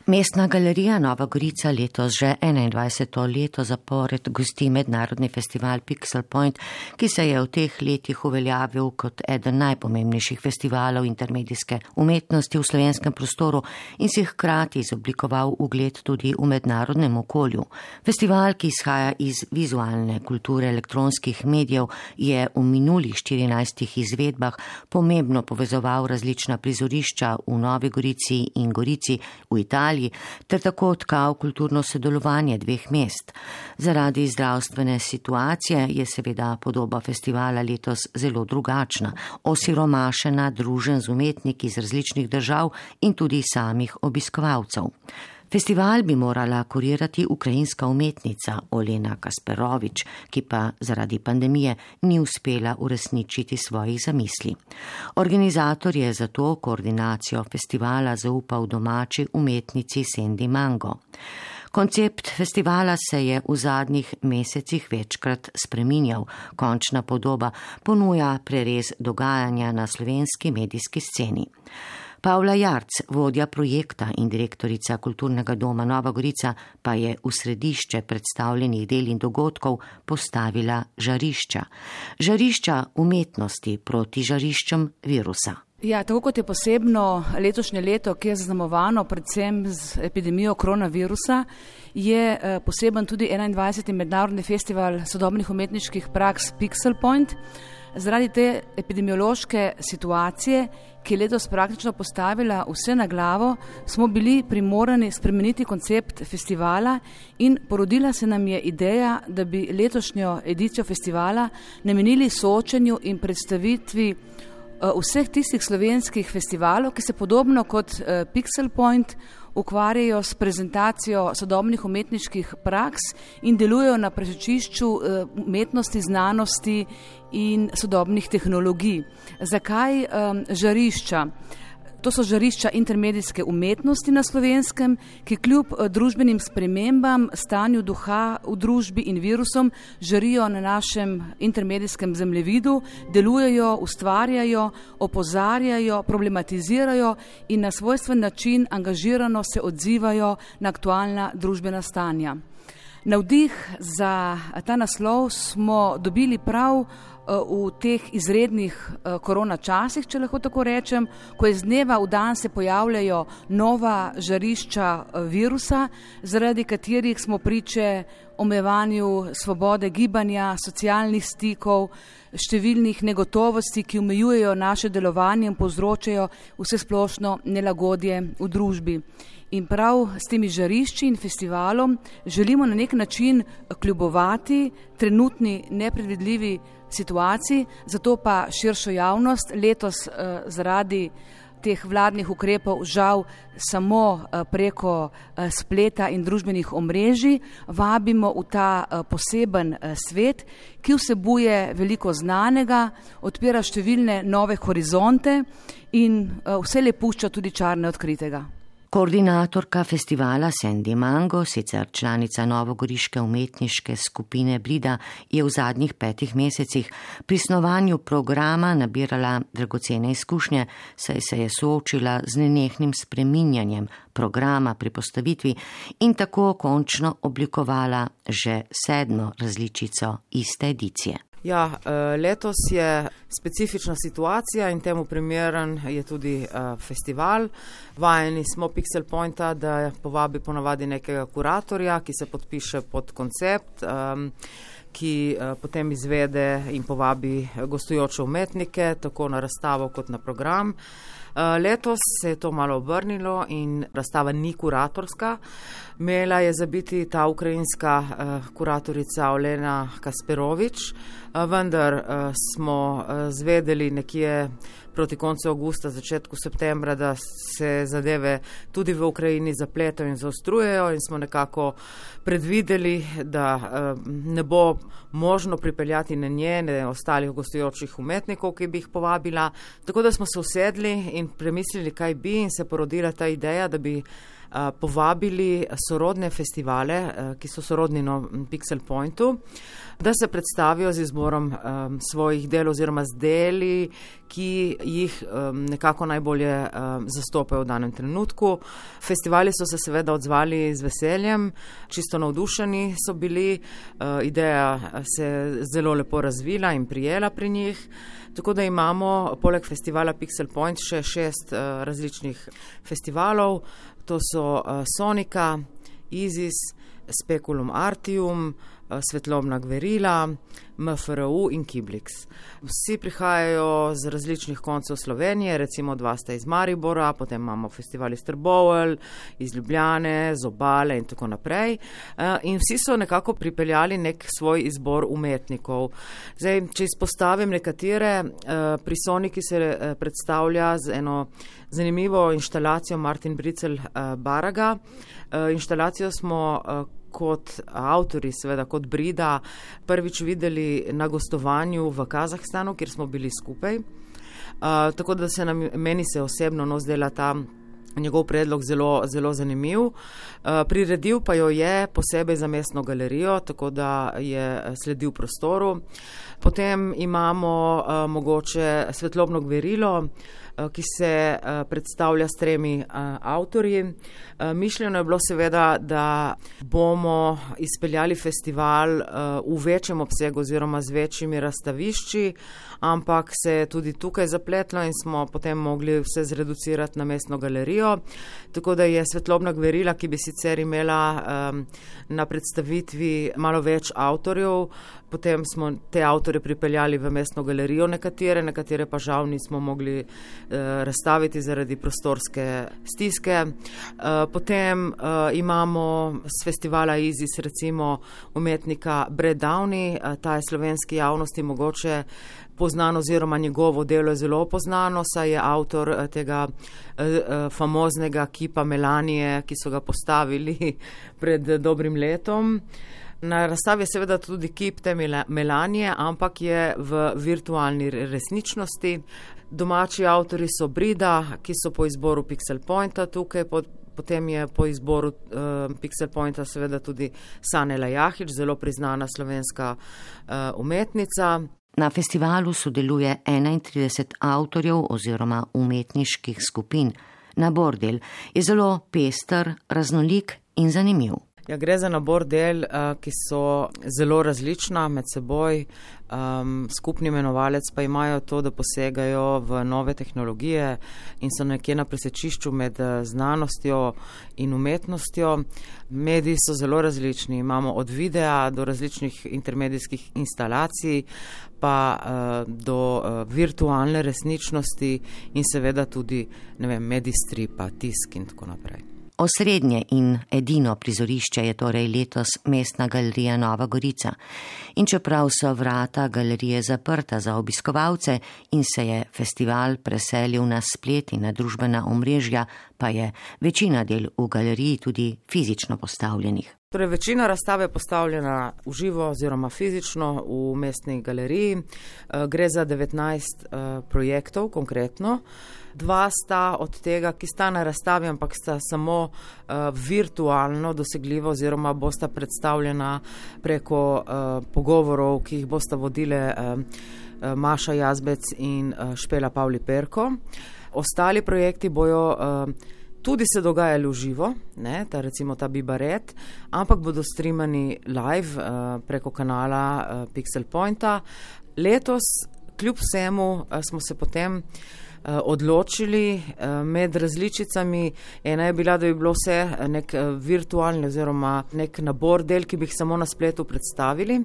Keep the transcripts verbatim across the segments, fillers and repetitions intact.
Mestna galerija Nova Gorica letos že enaindvajseto leto zapored gosti mednarodni festival Pixel Point, ki se je v teh letih uveljavil kot eden najpomembnejših festivalov intermedijske umetnosti v slovenskem prostoru in si hkrati izoblikoval ugled tudi v mednarodnem okolju. Festival, ki izhaja iz vizualne kulture elektronskih medijev, je v minulih štirinajstih izvedbah pomembno povezoval različna prizorišča v Novi Gorici in Gorici v Italiji, ter tako tkal kulturno sodelovanje dveh mest. Zaradi zdravstvene situacije je seveda podoba festivala letos zelo drugačna, osiromašena, družen z umetniki iz različnih držav in tudi samih obiskovalcev. Festival bi morala kurirati ukrajinska umetnica Olena Kasperovič, ki pa zaradi pandemije ni uspela uresničiti svojih zamisli. Organizator je zato koordinacijo festivala zaupal domači umetnici Sandy Mango. Koncept festivala se je v zadnjih mesecih večkrat spreminjal. Končna podoba ponuja prerez dogajanja na slovenski medijski sceni. Pavla Jarc, vodja projekta in direktorica Kulturnega doma Nova Gorica, pa je v središče predstavljenih del in dogodkov postavila žarišča. Žarišča umetnosti proti žariščem virusa. Ja, tako kot je posebno letošnje leto, ki je zaznamovano predvsem z epidemijo koronavirusa, je poseben tudi enaindvajseti mednarodni festival sodobnih umetniških praks Pixel Point. Zaradi te epidemiološke situacije, ki je letos praktično postavila vse na glavo, smo bili primorani spremeniti koncept festivala in porodila se nam je ideja, da bi letošnjo edicijo festivala namenili soočenju in predstavitvi vseh tistih slovenskih festivalov, ki se podobno kot Pixel Point ukvarjajo s prezentacijo sodobnih umetniških praks in delujejo na presečišču umetnosti, znanosti in sodobnih tehnologij. Zakaj um, žarišča? To so žarišča intermedijske umetnosti na Slovenskem, ki kljub družbenim spremembam, stanju duha v družbi in virusom žarijo na našem intermedijskem zemljevidu, delujejo, ustvarjajo, opozarjajo, problematizirajo in na svojstven način angažirano se odzivajo na aktualna družbena stanja. Navdih za ta naslov smo dobili prav v teh izrednih korona časih, če lahko tako rečem, ko iz dneva v dan se pojavljajo nova žarišča virusa, zaradi katerih smo priče omejevanju svobode gibanja, socialnih stikov, številnih negotovosti, ki omejujejo naše delovanje in povzročajo vsesplošno nelagodje v družbi. In prav s temi žarišči in festivalom želimo na nek način kljubovati trenutni nepredvidljivi situaciji, zato pa širšo javnost letos eh, zaradi teh vladnih ukrepov žal samo eh, preko eh, spleta in družbenih omrežij vabimo v ta eh, poseben eh, svet, ki vsebuje veliko znanega, odpira številne nove horizonte in eh, vse le pušča tudi čar neodkritega. Koordinatorka festivala Sandy Mango, sicer članica novogoriške umetniške skupine Brida, je v zadnjih petih mesecih pri snovanju programa nabirala dragocene izkušnje, saj se je soočila z nenehnim spreminjanjem programa pri postavitvi in tako končno oblikovala že sedmo različico iste edicije. Ja, letos je specifična situacija in temu primeren je tudi festival. Vajeni smo Pixel Pointa, da povabi ponavadi nekega kuratorja, ki se podpiše pod koncept, ki potem izvede in povabi gostujoče umetnike, tako na razstavo kot na program. Letos se je to malo obrnilo in razstava ni kuratorska. Imela je za biti ta ukrajinska uh, kuratorica Olena Kasperovič, uh, vendar uh, smo uh, zvedeli nekje proti koncu avgusta, začetku septembra, da se zadeve tudi v Ukrajini zapletajo in zaostrujejo in smo nekako predvideli, da uh, ne bo možno pripeljati na njene ostalih gostujočih umetnikov, ki bi jih povabila. Tako da smo se usedli in premislili, kaj bi, in se porodila ta ideja, da bi povabili sorodne festivale, ki so sorodni na Pixel Pointu, da se predstavijo z izborom um, svojih del oziroma z deli, ki jih um, nekako najbolje um, zastopajo v danem trenutku. Festivali so se seveda odzvali z veseljem, čisto navdušeni so bili, uh, ideja se je zelo lepo razvila in prijela pri njih. Tako da imamo poleg festivala Pixel Point še šest uh, različnih festivalov. To so uh, Sonika, Isis, Speculum Artium, Svetlobna Gverila, M F R U in Kiblix. Vsi prihajajo z različnih koncev Slovenije, recimo dva sta iz Maribora, potem imamo festival iz Trbovelj, iz Ljubljane, z Obale in tako naprej. In vsi so nekako pripeljali nek svoj izbor umetnikov. Zdaj, če izpostavim nekatere, pri Soniki se predstavlja z eno zanimivo inštalacijo Martin Bricel Baraga. Inštalacijo smo kot avtori, seveda kot Brida, prvič videli na gostovanju v Kazahstanu, kjer smo bili skupaj. Uh, tako da se nam, meni se osebno no zdela ta njegov predlog zelo, zelo zanimiv. Uh, priredil pa jo je posebej za mestno galerijo, tako da je sledil prostoru. Potem imamo uh, mogoče Svetlobno Gverilo, ki se predstavlja s tremi avtorji. Mišljeno je bilo seveda, da bomo izpeljali festival v večjem obsegu oziroma z večjimi razstavišči, ampak se je tudi tukaj zapletlo in smo potem mogli vse zreducirati na mestno galerijo. Tako da je Svetlobna Gverila, ki bi sicer imela na predstavitvi malo več avtorjev, potem smo te avtorje pripeljali v mestno galerijo nekatere, nekatere pa žal nismo mogli eh, razstaviti zaradi prostorske stiske. Eh, potem eh, imamo z festivala Isis recimo umetnika Brad Downey, eh, ta je slovenski javnosti mogoče poznan oziroma njegovo delo je zelo poznano, saj je avtor eh, tega eh, famoznega kipa Melanije, ki so ga postavili pred dobrim letom. Na razstavi je seveda tudi kip te Melanije, ampak je v virtualni resničnosti. Domači avtori so Brida, ki so po izboru Pixel Pointa tukaj, potem je po izboru uh, Pixel Pointa seveda tudi Sanela Jahič, zelo priznana slovenska uh, umetnica. Na festivalu sodeluje enaintrideset avtorjev oziroma umetniških skupin. Nabor del je zelo pester, raznolik in zanimiv. Ja, gre za nabor del, ki so zelo različna med seboj. Um, skupni imenovalec pa imajo to, da posegajo v nove tehnologije in so nekje na presečišču med znanostjo in umetnostjo. Mediji so zelo različni, imamo od videa do različnih intermedijskih instalacij, pa uh, do uh, virtualne resničnosti in seveda tudi, ne vem, medij stripa, tisk in tako naprej. Osrednje in edino prizorišče je torej letos Mestna galerija Nova Gorica. In čeprav so vrata galerije zaprta za obiskovalce in se je festival preselil na splet in na družbena omrežja, pa je večina del v galeriji tudi fizično postavljenih. Torej, večina razstave je postavljena v živo oziroma fizično v Mestni galeriji. Gre za devetnajst uh, projektov konkretno. Dva sta od tega, ki sta na razstavi, ampak sta samo uh, virtualno dosegljiva oziroma bosta predstavljena preko uh, pogovorov, ki jih bosta vodile uh, uh, Maša Jazbec in uh, Špela Pavli Perko. Ostali projekti bojo uh, tudi se dogajali v živo, ne, ta, recimo ta Bibaret, ampak bodo streamani live uh, preko kanala uh, Pixel Pointa. Letos, kljub vsemu, uh, smo se potem uh, odločili uh, med različicami. Ena je bila, da bi bilo vse nek uh, virtualni oziroma nek nabor del, ki bi jih samo na spletu predstavili,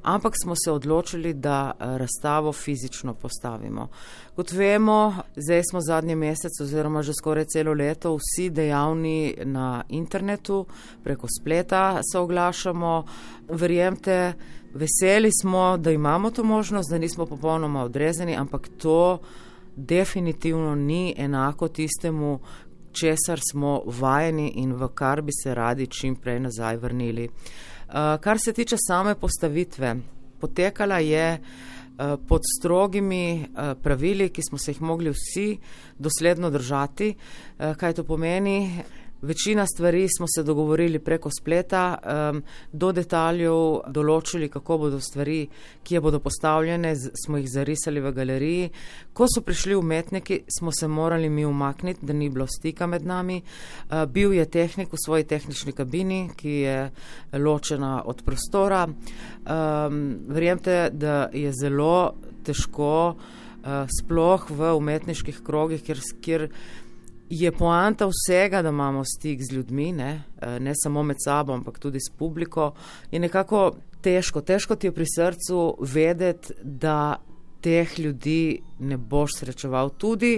ampak smo se odločili, da uh, razstavo fizično postavimo. Kot vemo, zdaj smo zadnji mesec oziroma že skoraj celo leto vsi dejavni na internetu, preko spleta se oglašamo. Verjemte, veseli smo, da imamo to možnost, da nismo popolnoma odrezani, ampak to definitivno ni enako tistemu, česar smo vajeni in v kar bi se radi čim prej nazaj vrnili. Uh, kar se tiče same postavitve, potekala je pod strogimi pravili, ki smo se jih mogli vsi dosledno držati. Kaj to pomeni? Večina stvari smo se dogovorili preko spleta, um, do detaljev določili, kako bodo stvari, kje bodo postavljene, z, smo jih zarisali v galeriji. Ko so prišli umetniki, smo se morali mi umakniti, da ni bilo stika med nami. Uh, bil je tehnik v svoji tehnični kabini, ki je ločena od prostora. Um, verjemte, da je zelo težko uh, sploh v umetniških krogih, kjer, kjer je poanta vsega, da imamo stik z ljudmi, ne, ne samo med sabo, ampak tudi s publiko, je nekako težko. Težko ti je pri srcu vedeti, da teh ljudi ne boš srečeval. Tudi,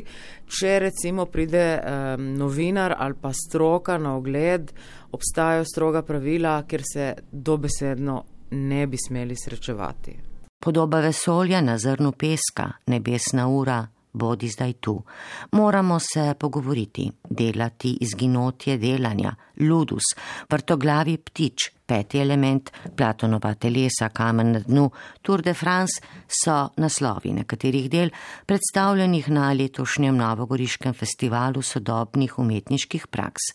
če recimo pride um, novinar ali pa stroka na ogled, obstajajo stroga pravila, kjer se dobesedno ne bi smeli srečevati. Podoba vesolja na zrnu peska, nebesna ura, bodi zdaj tu. Moramo se pogovoriti, delati izginotje delanja, ludus, vrtoglavi ptič, peti element, Platonova telesa, kamen na dnu, Tour de France so naslovi nekaterih del, predstavljenih na letošnjem novogoriškem festivalu sodobnih umetniških praks.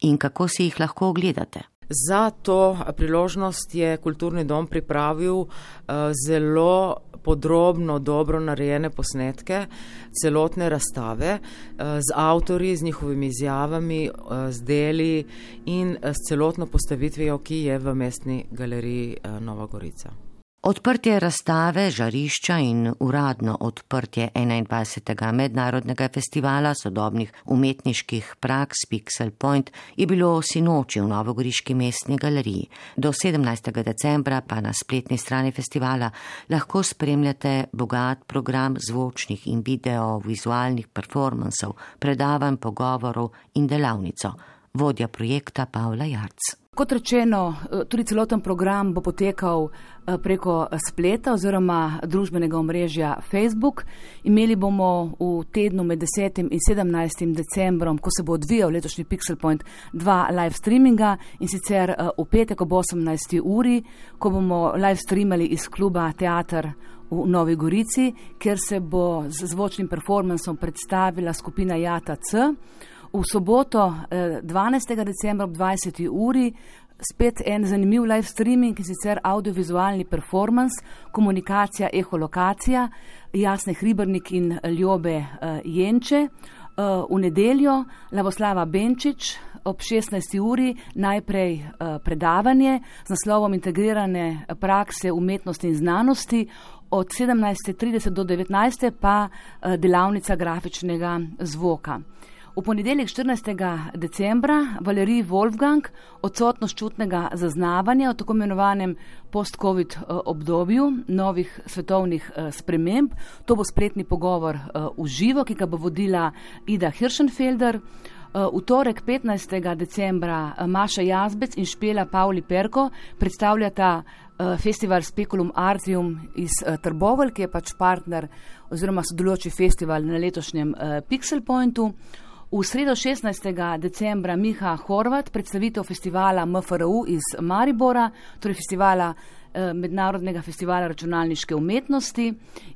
In kako si jih lahko ogledate? Za to priložnost je Kulturni dom pripravil uh, zelo podrobno, dobro narejene posnetke, celotne razstave uh, z avtorji, z njihovimi izjavami, uh, z deli in uh, s celotno postavitvijo, ki je v Mestni galeriji uh, Nova Gorica. Odprtje razstave, žarišča in uradno odprtje enaindvajsetega mednarodnega festivala sodobnih umetniških praks Pixel Point je bilo sinoči v Novogoriški mestni galeriji. Do sedemnajstega decembra pa na spletni strani festivala lahko spremljate bogat program zvočnih in video-vizualnih performansov, predavanj, pogovorov in delavnico. Vodja projekta Pavla Jarc. Kot rečeno, tudi celoten program bo potekal preko spleta oziroma družbenega omrežja Facebook. Imeli bomo v tednu med desetim in sedemnajstim decembrom, ko se bo odvijal letošnji Pixel Point, dva live streaminga, in sicer v petek ob osemnajsti uri, ko bomo live streamali iz kluba Teater v Novi Gorici, kjer se bo z zvočnim performansom predstavila skupina Jata C. V soboto dvanajstega decembra ob dvajseti uri spet en zanimiv live streaming, in sicer audiovizualni performance, komunikacija, eholokacija, Jasne Hribernik in Ljobe Jenče. V nedeljo Lavoslava Benčič ob šestnajsti uri najprej predavanje z naslovom Integrirane prakse umetnosti in znanosti, od sedemnajste trideset do devetnajste pa delavnica grafičnega zvoka. V ponedeljek štirinajstega decembra Valerij Wolfgang, odsotnost čutnega zaznavanja v tako imenovanem post-covid obdobju novih svetovnih sprememb. To bo spletni pogovor v živo, ki ga bo vodila Ida Hirschenfelder. V torek petnajstega decembra Maša Jazbec in Špela Pavli Perko predstavljata festival Speculum Artium iz Trbovelj, ki je pač partner oziroma sodelujoči festival na letošnjem Pixel Pointu. V sredo šestnajstega decembra Miha Horvat, predstavitev festivala M F R U iz Maribora, torej festivala eh, Mednarodnega festivala računalniške umetnosti,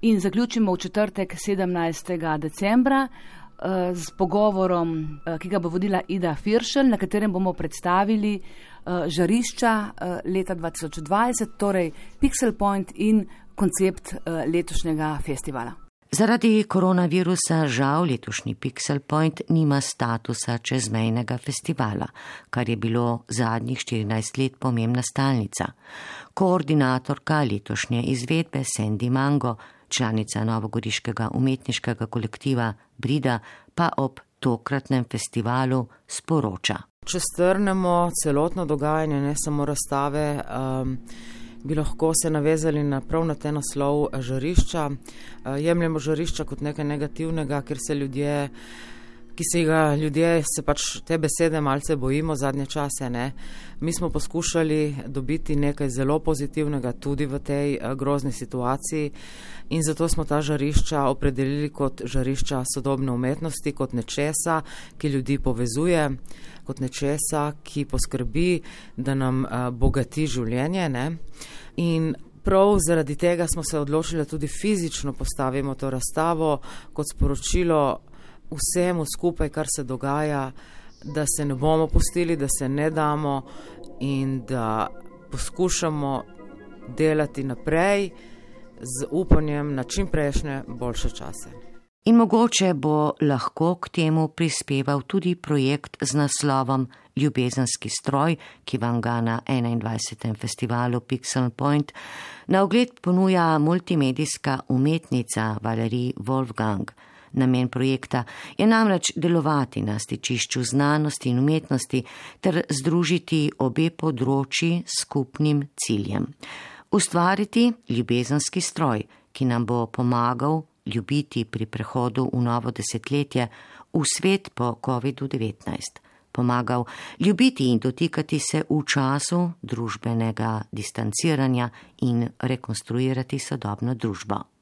in zaključimo v četrtek sedemnajstega decembra eh, z pogovorom, eh, ki ga bo vodila Ida Firšel, na katerem bomo predstavili eh, žarišča eh, leta dva tisoč dvajset, torej Pixel Point in koncept eh, letošnjega festivala. Zaradi koronavirusa žal letošnji Pixel Point nima statusa čezmejnega festivala, kar je bilo zadnjih štirinajst let pomembna stalnica. Koordinatorka letošnje izvedbe Sandy Mango, članica novogoriškega umetniškega kolektiva Brida, pa ob tokratnem festivalu sporoča. Če strnemo celotno dogajanje, ne samo razstave, um, bi lahko se navezali na prav na te naslov žarišča. Jemljemo žarišča kot nekaj negativnega, ker se ljudje, ki se ga ljudje, se pač te besede malce bojimo zadnje čase, ne. Mi smo poskušali dobiti nekaj zelo pozitivnega tudi v tej grozni situaciji in zato smo ta žarišča opredelili kot žarišča sodobne umetnosti, kot nečesa, ki ljudi povezuje, kot nečesa, ki poskrbi, da nam bogati življenje, ne. In prav zaradi tega smo se odločili, da tudi fizično postavimo to razstavo kot sporočilo vsemu skupaj, kar se dogaja, da se ne bomo pustili, da se ne damo in da poskušamo delati naprej z upanjem na čim prejšnje boljše čase. In mogoče bo lahko k temu prispeval tudi projekt z naslovom Ljubezenski stroj, ki vam ga na enaindvajsetem festivalu Pixel Point na ogled ponuja multimedijska umetnica Valerie Wolfgang. Namen projekta je namreč delovati na stičišču znanosti in umetnosti ter združiti obe področji s skupnim ciljem. Ustvariti ljubezenski stroj, ki nam bo pomagal ljubiti pri prehodu v novo desetletje v svet po kovidu devetnajst. Pomagal ljubiti in dotikati se v času družbenega distanciranja in rekonstruirati sodobno družbo.